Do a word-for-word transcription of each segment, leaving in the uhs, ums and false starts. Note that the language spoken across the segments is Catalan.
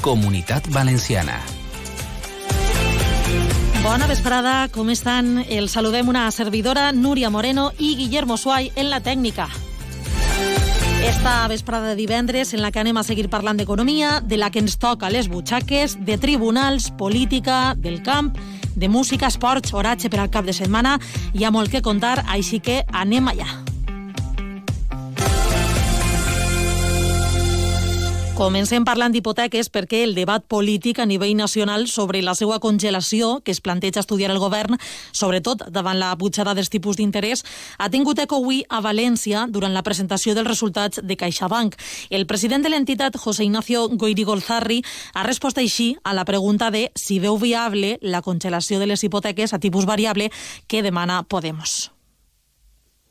Comunitat Valenciana. Bona vesprada, com estan? Els saludem una servidora, Núria Moreno, i Guillermo Suay en la tècnica. Esta vesprada de divendres en la que anem a seguir parlant d'economia, de la que ens toca les butxaques, de tribunals, política, del camp, de música, esports, oratge per al cap de setmana. Hi ha molt que contar, així que anem allà. Comencem parlant d'hipoteques perquè el debat polític a nivell nacional sobre la seva congelació, que es planteja estudiar el govern, sobretot davant la pujada dels tipus d'interès, ha tingut eco avui a València durant la presentació dels resultats de CaixaBank. El president de l'entitat, José Ignacio Goirigolzarri, ha respost així a la pregunta de si veu viable la congelació de les hipoteques a tipus variable que demana Podemos.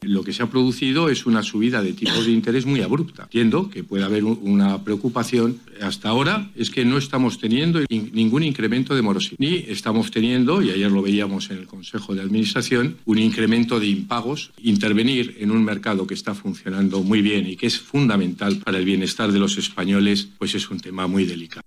Lo que se ha producido es una subida de tipos de interés muy abrupta. Entiendo que puede haber una preocupación. Hasta ahora es que no estamos teniendo ningún incremento de morosidad. Ni estamos teniendo, y ayer lo veíamos en el Consejo de Administración, un incremento de impagos. Intervenir en un mercado que está funcionando muy bien y que es fundamental para el bienestar de los españoles, pues es un tema muy delicado.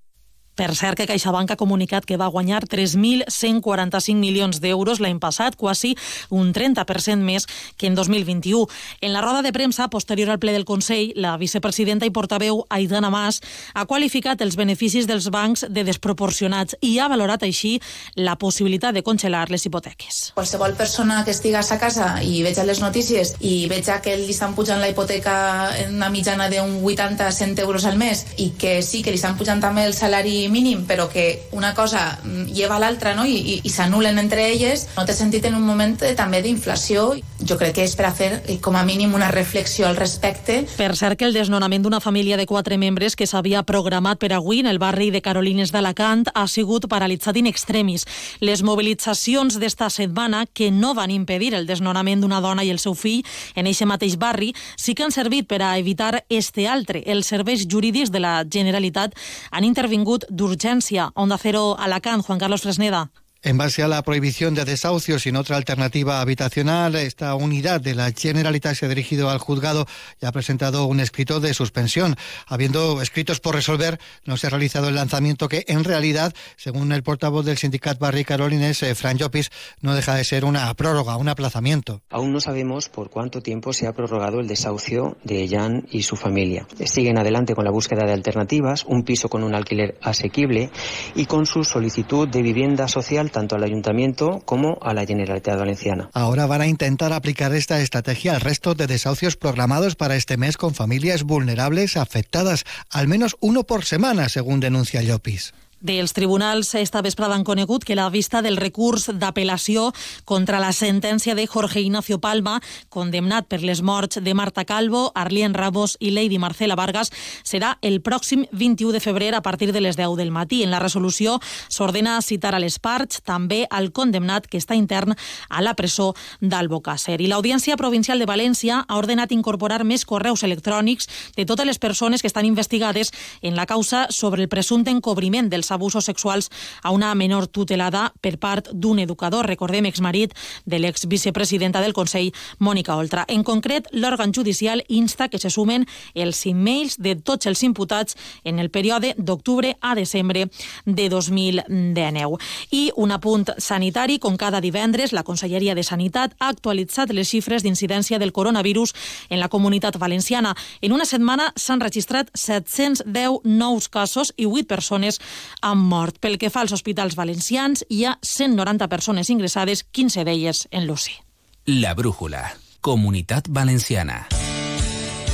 Per cert, que CaixaBank ha comunicat que va guanyar tres mil cent quaranta-cinc milions d'euros l'any passat, quasi un trenta per cent més que en dos mil vint-i-u. En la roda de premsa, posterior al ple del Consell, la vicepresidenta i portaveu Aidana Mas ha qualificat els beneficis dels bancs de desproporcionats i ha valorat així la possibilitat de congelar les hipoteques. Qualsevol persona que estigués a casa i veja les notícies i veja que li estan pujant la hipoteca en una mitjana d'un vuitanta a cent euros al mes i que sí que li estan pujant també el salari mínim, però que una cosa lleva a l'altra, no? I, i, i s'anulen entre elles, no té sentit en un moment de, també d'inflació. Jo crec que és per a fer com a mínim una reflexió al respecte. Per cert, que el desnonament d'una família de quatre membres que s'havia programat per avui en el barri de Carolines d'Alacant ha sigut paralitzat in extremis. Les mobilitzacions d'esta setmana, que no van impedir el desnonament d'una dona i el seu fill en eixe mateix barri, sí que han servit per a evitar este altre. Els serveis jurídics de la Generalitat han intervingut d'urgència. Onda Cero Alacant, Juan Carlos Fresneda. En base a la prohibición de desahucios sin otra alternativa habitacional, esta unidad de la Generalitat se ha dirigido al juzgado y ha presentado un escrito de suspensión. Habiendo escritos por resolver, no se ha realizado el lanzamiento que, en realidad, según el portavoz del sindicat Barri Carolines, eh, Fran Llopis, no deja de ser una prórroga, un aplazamiento. Aún no sabemos por cuánto tiempo se ha prorrogado el desahucio de Jan y su familia. Siguen adelante con la búsqueda de alternativas, un piso con un alquiler asequible y con su solicitud de vivienda social tanto al Ayuntamiento como a la Generalitat Valenciana. Ahora van a intentar aplicar esta estrategia al resto de desahucios programados para este mes con familias vulnerables afectadas, al menos uno por semana, según denuncia Llopis. Dels tribunals esta vesprada han conegut que la vista del recurs d'apel·lació contra la sentència de Jorge Ignacio Palma, condemnat per les morts de Marta Calvo, Arlien Ramos i Lady Marcela Vargas, serà el pròxim vint-i-u de febrer a partir de les deu del matí. En la resolució s'ordena citar a les parts, també al condemnat que està intern a la presó d'Albocàsser. I l'Audiència Provincial de València ha ordenat incorporar més correus electrònics de totes les persones que estan investigades en la causa sobre el presumpte encobriment dels abusos sexuals a una menor tutelada per part d'un educador, recordem, exmarit de l'exvicepresidenta del Consell, Mònica Oltra. En concret, l'òrgan judicial insta que se sumen els e-mails de tots els imputats en el període d'octubre a desembre de dos mil dinou. I un apunt sanitari, com cada divendres, la Conselleria de Sanitat ha actualitzat les xifres d'incidència del coronavirus en la Comunitat Valenciana. En una setmana s'han registrat set-cents deu nous casos i vuit persones han mort. Pel que fa als hospitals valencians, hi ha cent noranta persones ingressades, quinze d'elles en l'U C I. La Brújula, Comunitat Valenciana.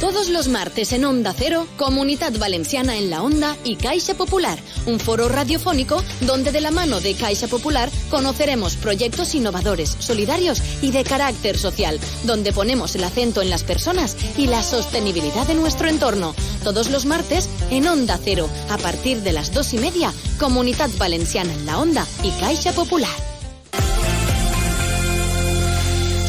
Todos los martes en Onda Cero, Comunidad Valenciana en la Onda y Caixa Popular, un foro radiofónico donde de la mano de Caixa Popular conoceremos proyectos innovadores, solidarios y de carácter social, donde ponemos el acento en las personas y la sostenibilidad de nuestro entorno. Todos los martes en Onda Cero, a partir de las dos y media, Comunidad Valenciana en la Onda y Caixa Popular.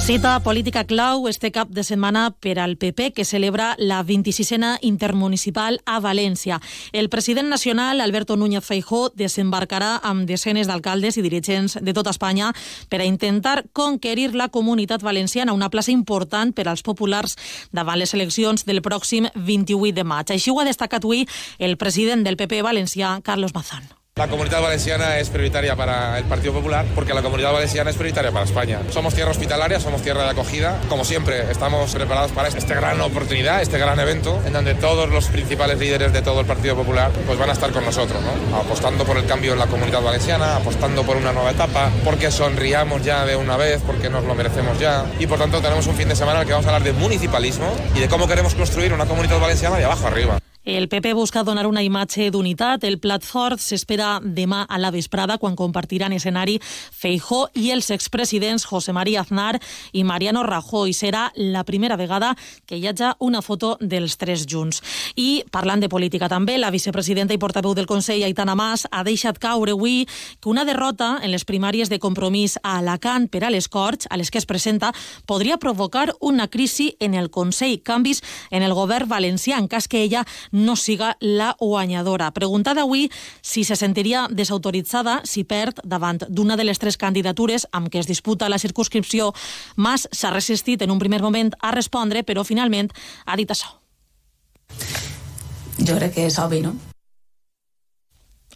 Cita política clau este cap de setmana per al P P, que celebra la vint-i-sisena intermunicipal a València. El president nacional, Alberto Núñez Feijóo, desembarcarà amb desenes d'alcaldes i dirigents de tota Espanya per a intentar conquerir la Comunitat Valenciana, una plaça important per als populars davant les eleccions del pròxim vint-i-vuit de maig. Així ho ha destacat avui el president del P P valencià, Carlos Mazón. La Comunidad Valenciana es prioritaria para el Partido Popular porque la Comunidad Valenciana es prioritaria para España. Somos tierra hospitalaria, somos tierra de acogida. Como siempre, estamos preparados para esta gran oportunidad, este gran evento, en donde todos los principales líderes de todo el Partido Popular pues van a estar con nosotros, ¿no? Apostando por el cambio en la Comunidad Valenciana, apostando por una nueva etapa, porque sonriamos ya de una vez, porque nos lo merecemos ya. Y por tanto tenemos un fin de semana en el que vamos a hablar de municipalismo y de cómo queremos construir una Comunitat Valenciana de abajo arriba. El P P busca donar una imatge d'unitat. El plat fort s'espera demà a la vesprada, quan compartiran escenari Feijóo i els expresidents José María Aznar i Mariano Rajoy. Serà la primera vegada que hi hagi una foto dels tres junts. I parlant de política també, la vicepresidenta i portaveu del Consell, Aitana Mas, ha deixat caure avui que una derrota en les primàries de Compromís a Alacant per a les Corts, a les que es presenta, podria provocar una crisi en el Consell, canvis en el govern valencià, en cas que ella no siga la guanyadora. Preguntada avui si se sentiria desautoritzada si perd davant d'una de les tres candidatures amb què es disputa la circumscripció, Mas s'ha resistit en un primer moment a respondre, però finalment ha dit això. Jo crec que és obvi, no?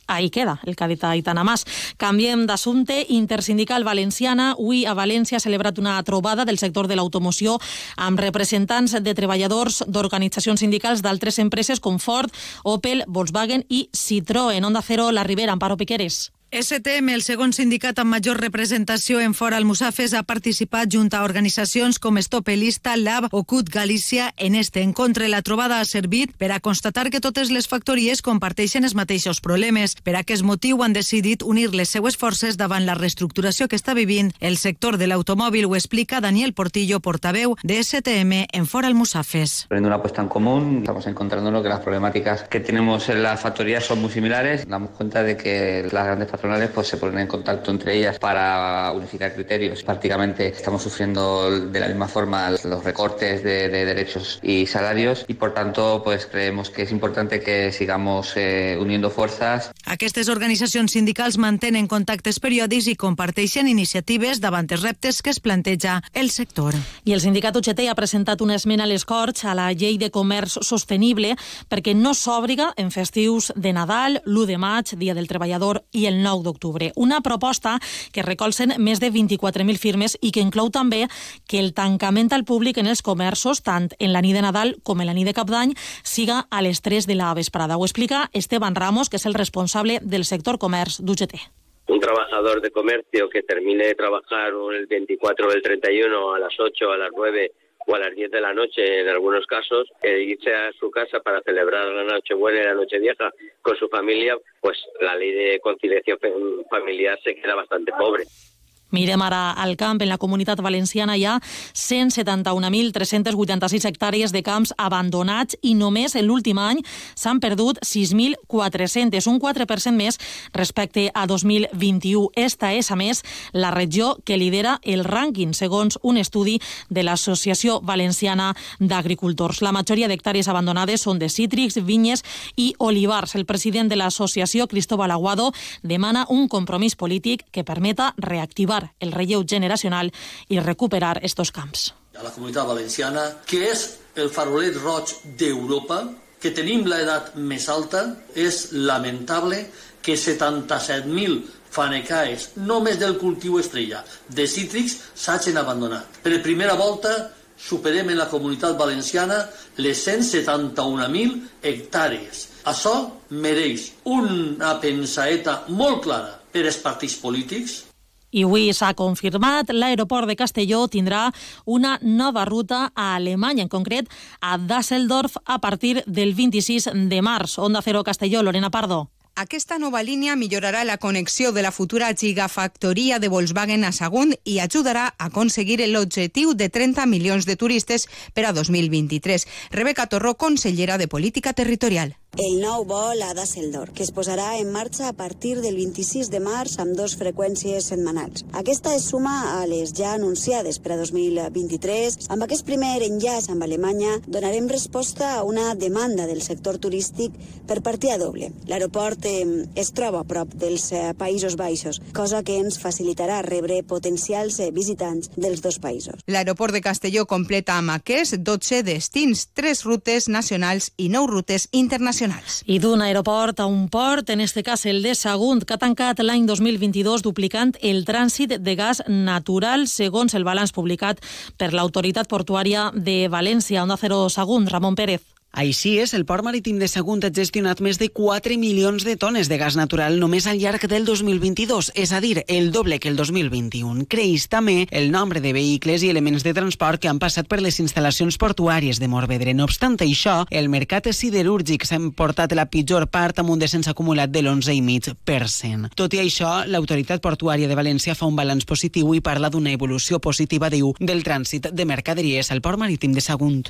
Ahí queda el que ha dit Aitana Mas. Canviem d'assumpte. Intersindical valenciana. Avui a València ha celebrat una trobada del sector de l'automoció amb representants de treballadors d'organitzacions sindicals d'altres empreses com Ford, Opel, Volkswagen i Citroën. Onda Cero, la Ribera, Amparo Piqueres. S T M, el segon sindicat amb major representació en Fora Almussafes, ha participat junt a organitzacions com Stopelista, Lab o C U T Galícia en este encontre. La trobada ha servit per a constatar que totes les factories comparteixen els mateixos problemes. Per aquest motiu han decidit unir les seues forces davant la reestructuració que està vivint el sector de l'automòbil. Ho explica Daniel Portillo, portaveu de S T M en Fora Almussafes. Poniendo una apuesta en común, estamos encontrándonos que las problemáticas que tenemos en las factorías son muy similares. Damos cuenta de que las grandes patronales pues se ponen en contacto entre ellas para unificar criterios. Prácticamente estamos sufriendo de la misma forma los recortes de, de derechos y salarios y por tanto pues creemos que es importante que sigamos eh, uniendo fuerzas. Aquestes organitzacions sindicals mantenen contactes periòdics i comparteixen iniciatives davant els reptes que es planteja el sector. I el sindicat U G T ha presentat una esmena a les Corts a la llei de comerç sostenible perquè no s'obriga en festius de Nadal, l'u de maig, Dia del Treballador i el nou d'octubre. Una proposta que recolzen més de vint-i-quatre mil firmes i que inclou també que el tancament al públic en els comerços, tant en la nit de Nadal com en la nit de Cap d'Any, siga a les tres de la vesprada. Ho explica Esteban Ramos, que és el responsable del sector comerç d'U G T. Un trabajador de comercio que termine de trabajar el veinticuatro o el treinta y uno a las ocho, a las nueve o a las diez de la noche en algunos casos, que irse a su casa para celebrar la Nochebuena y la Nochevieja con su familia, pues la ley de conciliación familiar se queda bastante pobre. Mirem ara al camp. En la Comunitat Valenciana hi ha cent setanta-un mil tres-cents vuitanta-sis hectàrees de camps abandonats i només en l'últim any s'han perdut sis mil quatre-cents, un quatre per cent més respecte a dos mil vint-i-u. Esta és, a més, la regió que lidera el rànquing, segons un estudi de l'Associació Valenciana d'Agricultors. La majoria d'hectàrees abandonades són de cítrics, vinyes i olivars. El president de l'associació, Cristóbal Aguado, demana un compromís polític que permeta reactivar el relleu generacional i recuperar estos camps. A la Comunitat Valenciana, que és el farolet roig d'Europa, que tenim l'edat més alta, és lamentable que setanta-set mil fanecaes, només del cultiu estrella, de cítrics, s'hagin abandonat. Per primera volta superem en la Comunitat Valenciana les cent setanta-un mil hectàrees. Això mereix una pensaeta molt clara per als partits polítics. I avui s'ha confirmat, l'aeroport de Castelló tindrà una nova ruta a Alemanya, en concret a Düsseldorf, a partir del vint-i-sis de març. Onda Cero Castelló, Lorena Pardo. Aquesta nova línia millorarà la connexió de la futura gigafactoria de Volkswagen a Sagunt i ajudarà a aconseguir l'objectiu de trenta milions de turistes per a dos mil vint-i-tres. Rebeca Torró, consellera de Política Territorial. el nou vol a Düsseldorf, que es posarà en marxa a partir del vint-i-sis de març amb dos freqüències setmanals. Aquesta es suma a les ja anunciades per a dos mil vint-i-tres. Amb aquest primer enllaç amb Alemanya donarem resposta a una demanda del sector turístic per partida doble. L'aeroport eh, es troba a prop dels eh, Països Baixos, cosa que ens facilitarà rebre potencials eh, visitants dels dos països. L'aeroport de Castelló completa amb aquests dotze destins, tres rutes nacionals i nou rutes internacionals. I d'un aeroport a un port, en este cas el de Sagunt, que ha tancat l'any dos mil vint-i-dos duplicant el trànsit de gas natural, segons el balanç publicat per l'Autoritat Portuària de València. Onda Cero Sagunt, Ramon Pérez. Així és, el port marítim de Sagunt ha gestionat més de quatre milions de tones de gas natural només al llarg del dos mil vint-i-dos, és a dir, el doble que el dos mil vint-i-un. Creix també el nombre de vehicles i elements de transport que han passat per les instal·lacions portuàries de Morvedre. No obstant això, el mercat siderúrgic s'ha emportat la pitjor part amb un descens acumulat de l'onze coma cinc per cent. Tot i això, l'Autoritat Portuària de València fa un balanç positiu i parla d'una evolució positiva, diu, del trànsit de mercaderies al port marítim de Sagunt.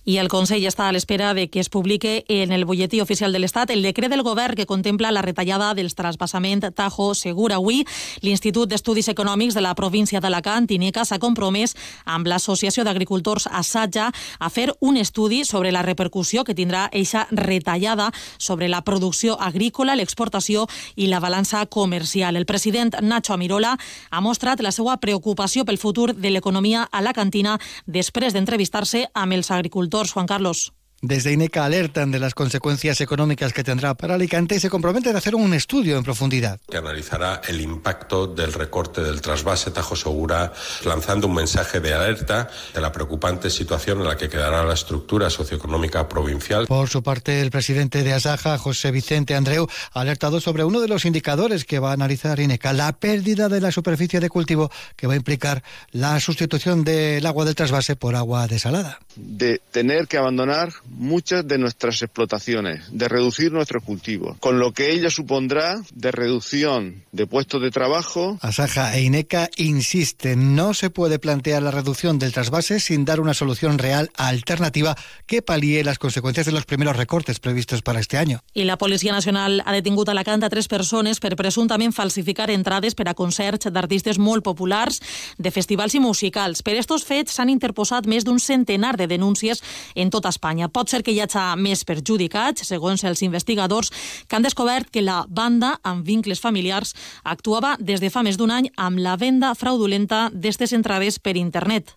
I el Consell està a l'espera de que es publique en el butlletí oficial de l'Estat el decret del govern que contempla la retallada dels trasbassament Tajo-Segura. Avui, l'Institut d'Estudis Econòmics de la província d'Alacant, INECA, s'ha compromès amb l'Associació d'Agricultors Assaja a fer un estudi sobre la repercussió que tindrà eixa retallada sobre la producció agrícola, l'exportació i la balança comercial. El president Nacho Amirola ha mostrat la seva preocupació pel futur de l'economia alacantina després d'entrevistar-se amb els agricultors. Juan Carlos. Desde INECA alertan de las consecuencias económicas que tendrá para Alicante y se comprometen a hacer un estudio en profundidad. Que analizará el impacto del recorte del trasvase Tajo-Segura, lanzando un mensaje de alerta de la preocupante situación en la que quedará la estructura socioeconómica provincial. Por su parte, el presidente de Asaja, José Vicente Andreu, ha alertado sobre uno de los indicadores que va a analizar INECA, la pérdida de la superficie de cultivo que va a implicar la sustitución del agua del trasvase por agua desalada. De tener que abandonar muchas de nuestras explotaciones, de reducir nuestros cultivos, con lo que ello supondrá de reducción de puestos de trabajo. Asaja e INECA insisten, no se puede plantear la reducción del trasvase sin dar una solución real alternativa que palíe las consecuencias de los primeros recortes previstos para este año. I la Policia Nacional ha detingut a Alacant a tres persones per presumptament falsificar entrades per a concerts d'artistes molt populars de festivals i musicals. Per estos fets s'han interposat més d'un centenar de denúncies en tota Espanya. Pot ser que hi hagi més perjudicats, segons els investigadors, que han descobert que la banda, amb vincles familiars, actuava des de fa més d'un any amb la venda fraudulenta d'estes entrades per internet.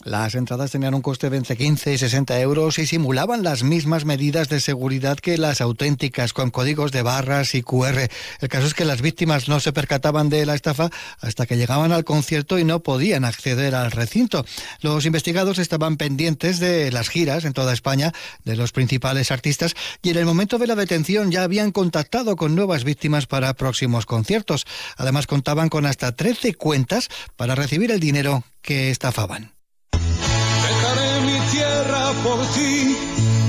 Las entradas tenían un coste de entre quince y sesenta euros y simulaban las mismas medidas de seguridad que las auténticas, con códigos de barras y cu erre. El caso es que las víctimas no se percataban de la estafa hasta que llegaban al concierto y no podían acceder al recinto. Los investigados estaban pendientes de las giras en toda España de los principales artistas y en el momento de la detención ya habían contactado con nuevas víctimas para próximos conciertos. Además, contaban con hasta trece cuentas para recibir el dinero que estafaban. Dejaré mi tierra por ti,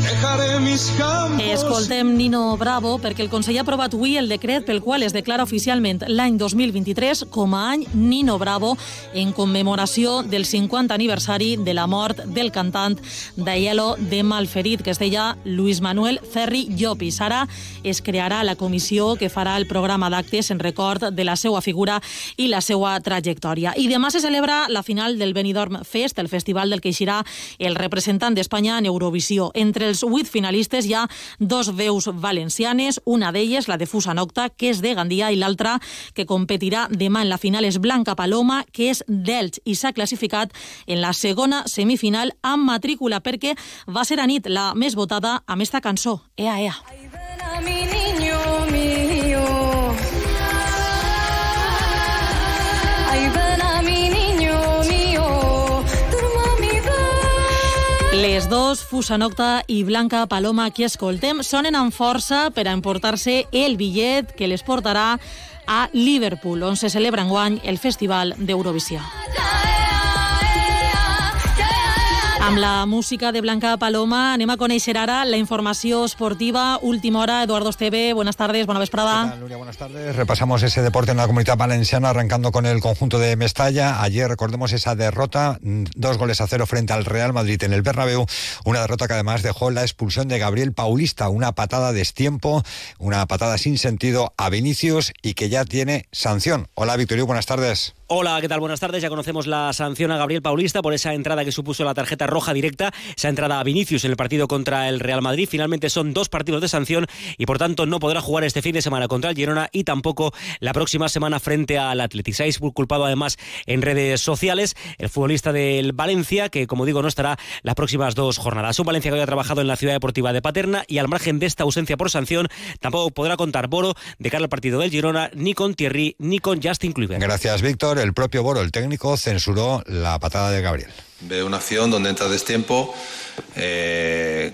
dejaré mis campos... Escoltem Nino Bravo perquè el Consell ha aprovat avui el decret pel qual es declara oficialment l'any dos mil vint-i-tres com a any Nino Bravo en commemoració del cinquantè aniversari de la mort del cantant d'Aielo de Malferit, que es deia Luis Manuel Ferri Llopis. Ara es crearà la comissió que farà el programa d'actes en record de la seva figura i la seva trajectòria. I demà se celebra la final del Benidorm Fest, el festival del que eixirà el representant d'Espanya en Eurovisió. Entre els vuit finalistes hi ha dos veus valencianes, una d'elles, la de Fusa Nocta, que és de Gandia, i l'altra, que competirà demà en la final, és Blanca Paloma, que és d'Elx, i s'ha classificat en la segona semifinal amb matrícula, perquè va ser a nit la més votada amb esta cançó, Ea Ea. Mi niño mío. Ay, ven a mi niño mío. Les dos, Fusa Nocta i Blanca Paloma, que escoltem, sonen amb força per a emportar-se el bitllet que les portarà a Liverpool, on se celebra enguany el Festival d'Eurovisió. Amb la música de Blanca Paloma anem a conèixer ara la informació esportiva. Última hora, Eduardo Esteve, buenas tardes, buena vesprada. ¿Qué tal, Nuria? Buenas tardes. Repasamos ese deporte en la Comunidad Valenciana, arrancando con el conjunto de Mestalla. Ayer recordemos esa derrota, dos goles a cero frente al Real Madrid en el Bernabéu, una derrota que además dejó la expulsión de Gabriel Paulista, una patada de destiempo, una patada sin sentido a Vinicius y que ya tiene sanción. Hola, Victorio, buenas tardes. Hola, ¿qué tal? Buenas tardes. Ya conocemos la sanción a Gabriel Paulista por esa entrada que supuso la tarjeta roja directa, esa entrada a Vinicius en el partido contra el Real Madrid. Finalmente son dos partidos de sanción y por tanto no podrá jugar este fin de semana contra el Girona y tampoco la próxima semana frente al Athletic. Se ha culpado además en redes sociales el futbolista del Valencia, que como digo no estará las próximas dos jornadas. Un Valencia que había trabajado en la ciudad deportiva de Paterna y al margen de esta ausencia por sanción tampoco podrá contar Boro de cara al partido del Girona, ni con Thierry ni con Justin Kluivert. Gracias, Víctor. El propio Boro, el técnico, censuró la patada de Gabriel. Ve una acción donde entra destiempo, eh,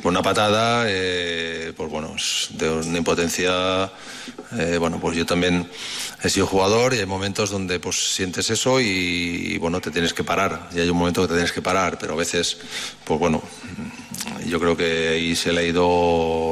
con una patada, eh, pues bueno, de una impotencia. Eh, bueno, pues yo también he sido jugador y hay momentos donde pues sientes eso y, y bueno, te tienes que parar. Y hay un momento que te tienes que parar, pero a veces, pues bueno, yo creo que ahí se le ha ido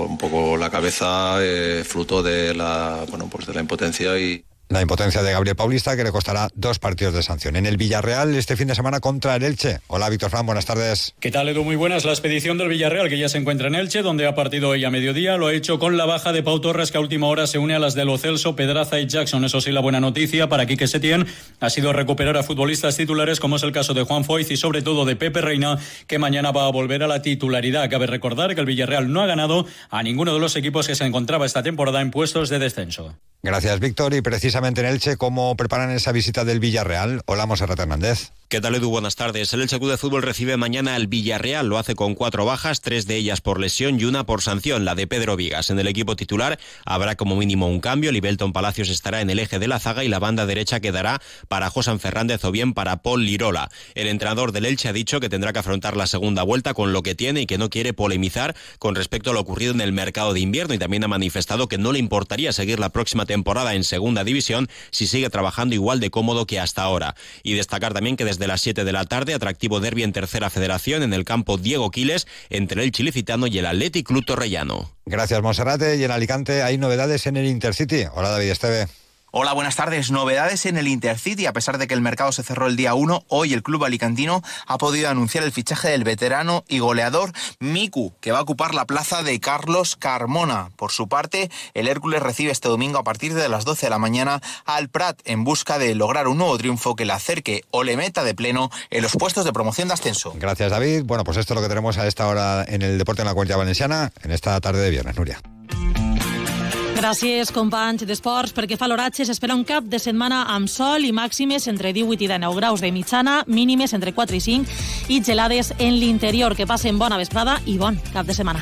un poco la cabeza, eh, fruto de la, bueno, pues de la impotencia y... La impotencia de Gabriel Paulista, que le costará dos partidos de sanción. En el Villarreal, este fin de semana contra el Elche. Hola, Víctor Fran, buenas tardes. ¿Qué tal, Edu? Muy buenas. La expedición del Villarreal, que ya se encuentra en Elche, donde ha partido hoy a mediodía, lo ha hecho con la baja de Pau Torres, que a última hora se une a las de Lo Celso, Pedraza y Jackson. Eso sí, la buena noticia para Quique Setién ha sido recuperar a futbolistas titulares, como es el caso de Juan Foyth y sobre todo de Pepe Reina, que mañana va a volver a la titularidad. Cabe recordar que el Villarreal no ha ganado a ninguno de los equipos que se encontraba esta temporada en puestos de descenso. Gracias, Víctor. Y precisamente en Elche, ¿cómo preparan esa visita del Villarreal? Hola, Monserrat Hernández. ¿Qué tal, Edu? Buenas tardes. El Elche Club de Fútbol recibe mañana al Villarreal. Lo hace con cuatro bajas, tres de ellas por lesión y una por sanción, la de Pedro Vigas. En el equipo titular habrá como mínimo un cambio. Libelton Palacios estará en el eje de la zaga y la banda derecha quedará para Josan Fernández o bien para Paul Lirola. El entrenador del Elche ha dicho que tendrá que afrontar la segunda vuelta con lo que tiene y que no quiere polemizar con respecto a lo ocurrido en el mercado de invierno, y también ha manifestado que no le importaría seguir la próxima temporada en segunda división si sigue trabajando igual de cómodo que hasta ahora. Y destacar también que desde las siete de la tarde, atractivo derbi en tercera federación en el campo Diego Quiles entre el Chilicitano y el Athletic Club Torrellano. Gracias, Monserrate. Y en Alicante hay novedades en el Intercity. Hola, David Esteve. Hola, buenas tardes. Novedades en el Intercity. A pesar de que el mercado se cerró el día uno, hoy el club alicantino ha podido anunciar el fichaje del veterano y goleador Miku, que va a ocupar la plaza de Carlos Carmona. Por su parte, el Hércules recibe este domingo a partir de las doce de la mañana al Prat en busca de lograr un nuevo triunfo que le acerque o le meta de pleno en los puestos de promoción de ascenso. Gracias, David. Bueno, pues esto es lo que tenemos a esta hora en el deporte en la Comunidad Valenciana en esta tarde de viernes. Nuria. Gràcies, companys d'esports. Perquè fa l'oratge s'espera un cap de setmana amb sol i màximes entre divuit i dinou graus de mitjana, mínimes entre quatre i cinc i gelades en l'interior. Que passen bona vesprada i bon cap de setmana.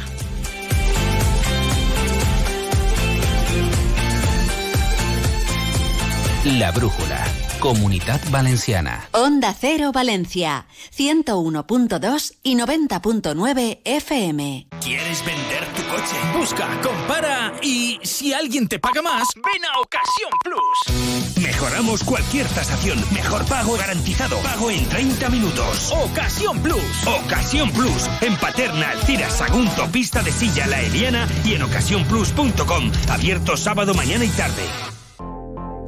La Brújula. Comunidad Valenciana. Onda Cero Valencia, ciento uno punto dos y noventa punto nueve F M. ¿Quieres vender tu coche? Busca, compara y si alguien te paga más, ven a Ocasión Plus. Mejoramos cualquier tasación. Mejor pago garantizado. Pago en treinta minutos. Ocasión Plus. Ocasión Plus. En Paterna, Alcira, Sagunto, Pista de Silla, La Eliana y en ocasión plus punto com. Abierto sábado, mañana y tarde.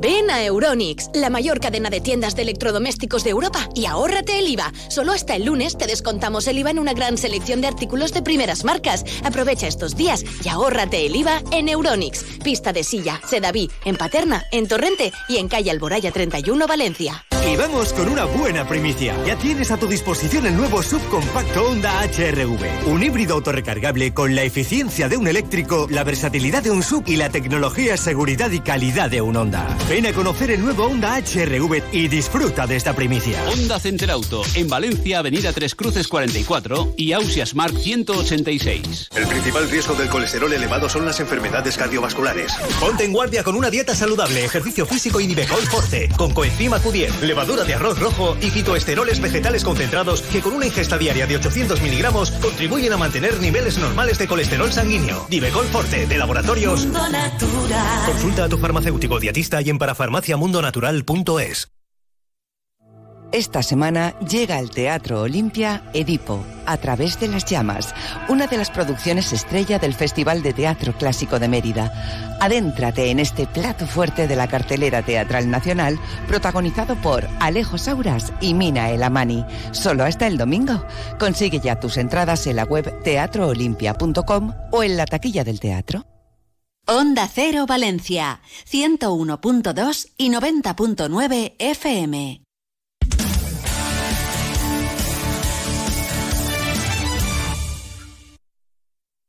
Ven a Euronics, la mayor cadena de tiendas de electrodomésticos de Europa, y ahórrate el I V A. Solo hasta el lunes te descontamos el I V A en una gran selección de artículos de primeras marcas. Aprovecha estos días y ahórrate el I V A en Euronics. Pista de Silla, Sedaví, en Paterna, en Torrente y en calle Alboraya treinta y uno, Valencia. Y vamos con una buena primicia. Ya tienes a tu disposición el nuevo subcompacto Honda H R V. Un híbrido autorrecargable con la eficiencia de un eléctrico, la versatilidad de un sub y la tecnología, seguridad y calidad de un Honda. Ven a conocer el nuevo Honda H R V y disfruta de esta primicia. Honda Center Auto, en Valencia, Avenida Tres Cruces cuarenta y cuatro y Ausia Smart ciento ochenta y seis. El principal riesgo del colesterol elevado son las enfermedades cardiovasculares. Ponte en guardia con una dieta saludable, ejercicio físico y Nivecol Forte, con coenzima Q diez, levadura de arroz rojo y fitoesteroles vegetales concentrados que con una ingesta diaria de ochocientos miligramos contribuyen a mantener niveles normales de colesterol sanguíneo. Nivecol Forte, de Laboratorios Mundo Natural. Consulta a tu farmacéutico dietista y en parafarmaciamundonatural punto es. Esta semana llega al Teatro Olimpia Edipo, a través de las llamas, una de las producciones estrella del Festival de Teatro Clásico de Mérida. Adéntrate en este plato fuerte de la cartelera teatral nacional, protagonizado por Alejo Sauras y Mina El Amani. Solo hasta el domingo. Consigue ya tus entradas en la web teatro olimpia punto com o en la taquilla del teatro. Onda Cero Valencia, ciento uno punto dos y noventa punto nueve F M.